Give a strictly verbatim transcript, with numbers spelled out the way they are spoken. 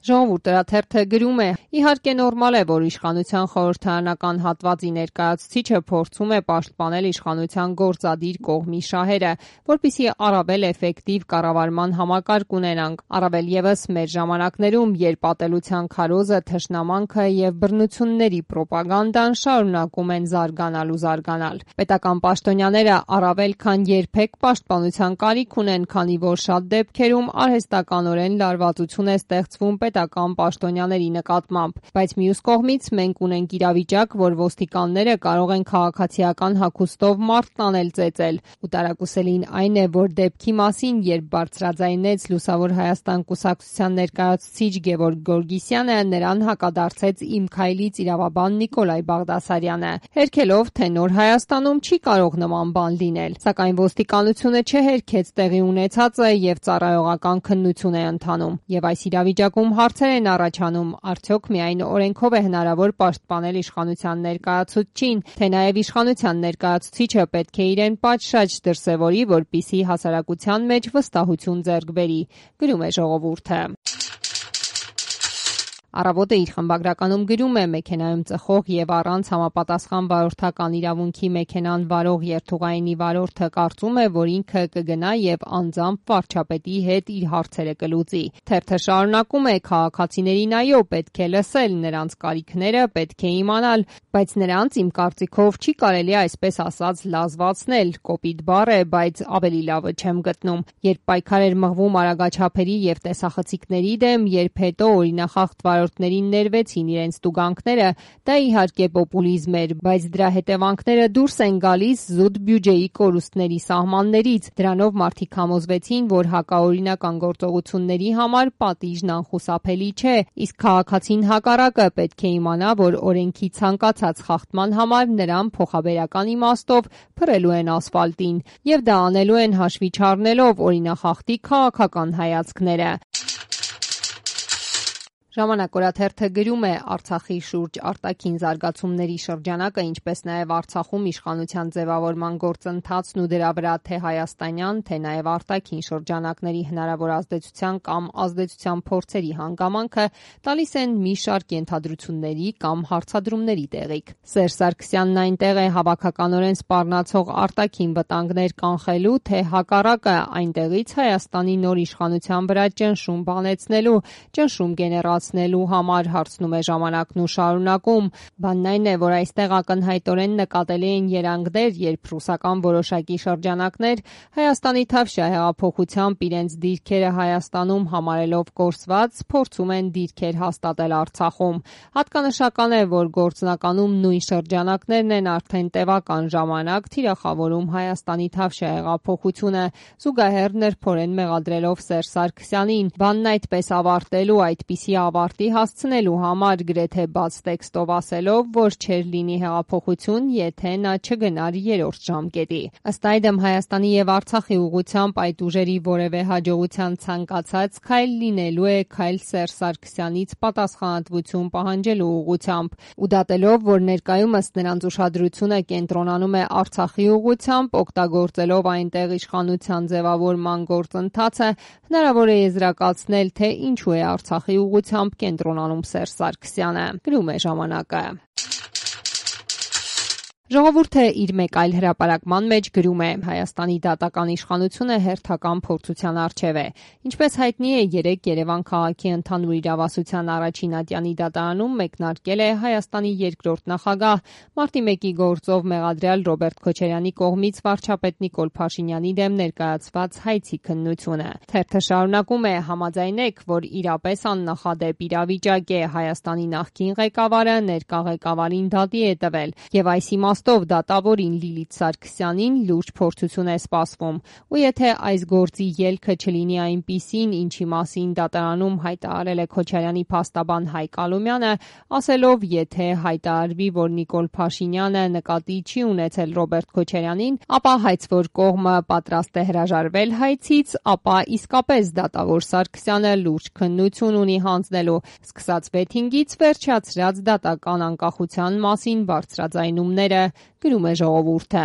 Ժողովուրդ օրաթերթը գրում է. իհարկե նորմալ է, որ իշխանության խորհրդարանական հատվածի ներկայացուցիչը փորձում է պաշտպանել իշխանության գործադիր կողմի շահերը, որպեսզի առավել էֆեկտիվ կառավարման համակարգ ունենանք, առավել ևս մեր ժամանակներում, երբ ատելության քարոզը, թշնամանքը եւ բռնությունների պրոպագանդան շարունակում են զարգանալ ու զարգանալ։ Պետական պաշտոնյաները առավել քան երբեք պաշտպանության կարիք ունեն, քանի որ շատ դեպքերում արհեստականորեն լարվածություն է ստեղծվում պետական պաշտոնյաների նկատմամբ, բայց մյուս կողմից մենք ունենք իրավիճակ, որ ոստիկանները կարող են քաղաքացիական հագուստով մարդ տանել ծեծել, ու տարակուսելին այն է, որ դեպքի մասին, երբ բարձրաձայնեց Լուսավոր Հայաստան կուսակցության ներկայացուցիչ Գևորգ Գորգիսյանը, նրան հակադարձեց Իմ քայլից իրավաբան Նիկոլայ Բաղդասարյանը, հերքելով, թե նոր Հայաստանում չի կարող նման բան լինել, սակայն ոստիկանությունը չհերքեց տեղի ունեցածը եւ ծառայողական քննություն է ընթանում, եւ այս իրավիճակում հարցեր են առաջանում, արդյոք միայն օրենքով է հնարավոր պաշտպանել իշխանության ներկայացուցչին, թե նաեւ իշխանության ներկայացուցիչը պետք է իրեն պատշաճ դրսևորի, որպեսզի հասարակության մեջ վստահություն ձեռք բերի, գրում է Ժողովուրդը։ Առավոտը իր խմբագրականում գրում է. մեքենայում ծխող եւ առանց համապատասխան վարորդական իրավունքի մեքենան վարող երթուղայինի վարորդը կարծում է, որ ինքը կգնա եւ անձամբ վարչապետի հետ իր հարցերը կլուծի։ Թերթը շարունակում է. քաղաքացիներին այո, պետք է լսել, նրանց կարիքները պետք է իմանալ, բայց նրանց իմ կարծիքով չի կարելի այսպես ասած լազվացնել, կոպիտ բառ է, բայց ավելի լավը չեմ գտնում։ Երբ պայքար էր մղվում արագաչափերի եւ տեսախցիկների դեմ, երբ հետո օրինախախտ վարորդներին ներվեցին իրենց տուգանքները, դա իհարկե պոպուլիզմ էր, բայց դրա հետևանքները դուրս են գալիս զուտ բյուջեի կորուստների սահմաններից։ Դրանով մարդիկ համոզվեցին, որ հակաօրինական գործողությունների համար պատիժն անխուսափելի չէ, իսկ քաղաքացին հակառակը պետք է իմանա, որ օրենքի ցանկացած խախտման համար նրան փոխաբերական իմաստով փռելու են ասֆալտին, եւ դա անելու են հաշվի չառնելով օրինախախտի քաղաքական հայացքները։ Ժամանակ օրաթերթը գրում է. Արցախի շուրջ արտաքին զարգացումների շրջանակը, ինչպես նաև Արցախում իշխանության ձևավորման գործընթացն ու դրա վրա թե հայաստանյան, թե նաև արտաքին շրջանակների հնարավոր ազդեցության կամ ազդեցության փորձերի հանգամանքը տալիս են մի շարք ենթադրությունների կամ հարցադրումների տեղիք։ Սերժ Սարգսյանն այնտեղ է հավաքականորեն սպառնացող արտաքին վտանգներ կանխելու, թե հակառակը այնտեղից Հայաստանի նոր իշխանության վրա ճնշում բանեցնելու, ճնշում գեներացնելու համար, հարցնում է Ժամանակն ու շարունակում։ Բանն այն է, որ այստեղ ակնհայտորեն նկատելի են երանգներ, երբ ռուսական որոշակի շրջանակներ Հայաստանի Թավշյա հեղափոխությամբ իրենց դիրքերը Հայաստանում համարելով կորսված, փորձում են դիրքեր հաստատել Արցախում։ Հատկանշական է, որ գործնականում նույն շրջանակներն են արդեն տևական ժամանակ թիրախավորում Հայաստանի Թավշյա հեղափոխությունը, զուգահեռ նրբորեն մեղադրելով Սերժ Սարգսյանին։ Բանն այդպես ավարտելու, այդպիսի ավարտի հասցնելու համար գրեթե բաց տեքստով ասելով, որ չէր լինի հեղափոխություն, եթե նա չգնար երրորդ ժամկետի։ Ըստ այդմ Հայաստանի եւ Արցախի ուղղությամբ այդ ուժերի որևէ հաջողության ցանկացած քայլ լինելու է քայլ Սերժ Սարգսյանից պատասխանատվություն պահանջելու ուղղությամբ, ու դատելով, որ ներկայումս նրանց ուշադրությունը կենտրոնանում է Արցախի ուղղությամբ, օգտագործելով այնտեղ իշխանության ձևավորման գործընթացը, հնարավոր է եզրակացնել, թե ինչու է Արցախի ուղղությամբ կենտրոնանում Սերժ Սարգսյանը, գրում է Ժամանակը։ Ժողովուրդը իր մեկ այլ հրապարակման մեջ գրում է. Հայաստանի դատական իշխանությունը հերթական փորձության առջև է։ Ինչպես հայտնի է, երեկ Երևան քաղաքի ընդհանուր իրավասության առաջին ատյանի դատարանում մեկնարկել է Հայաստանի երկրորդ նախագահ, մարտի մեկի գործով մեղադրյալ Ռոբերտ Քոչարյանի կողմից վարչապետ Նիկոլ Փաշինյանի դեմ ներկայացված հայցի քննությունը։ Թերթը շարունակում է. համաձայնեք, որ իրապես աննախադեպ իրավիճակ է, Հայաստանի նախկին ղեկավարը ներկա ղեկավարին դատի է տվել, եւ այս իմաստով դատավորին Լիլիթ Սարգսյանին լուրջ փորձություն է սպասվում, ու եթե այս գործի ելքը չլինի այնպիսին, ինչի մասին դատարանում հայտարարել է Քոչարյանի փաստաբան Հայկ Ալոմյանը, ասելով, եթե հայտարարվի, որ Նիկոլ Փաշինյանը նկատի չի ունեցել Ռոբերտ Քոչարյանին, ապա հայցվոր կողմը պատրաստ է հրաժարվել հայցից, ապա իսկապես դատավոր Սարգսյանը լուրջ քննություն ունի հանձնելու սկսած վեթինգից վերջացրած դատական անկախության մասին բարձրաձայնումները, գրում է Ժողովուրդը։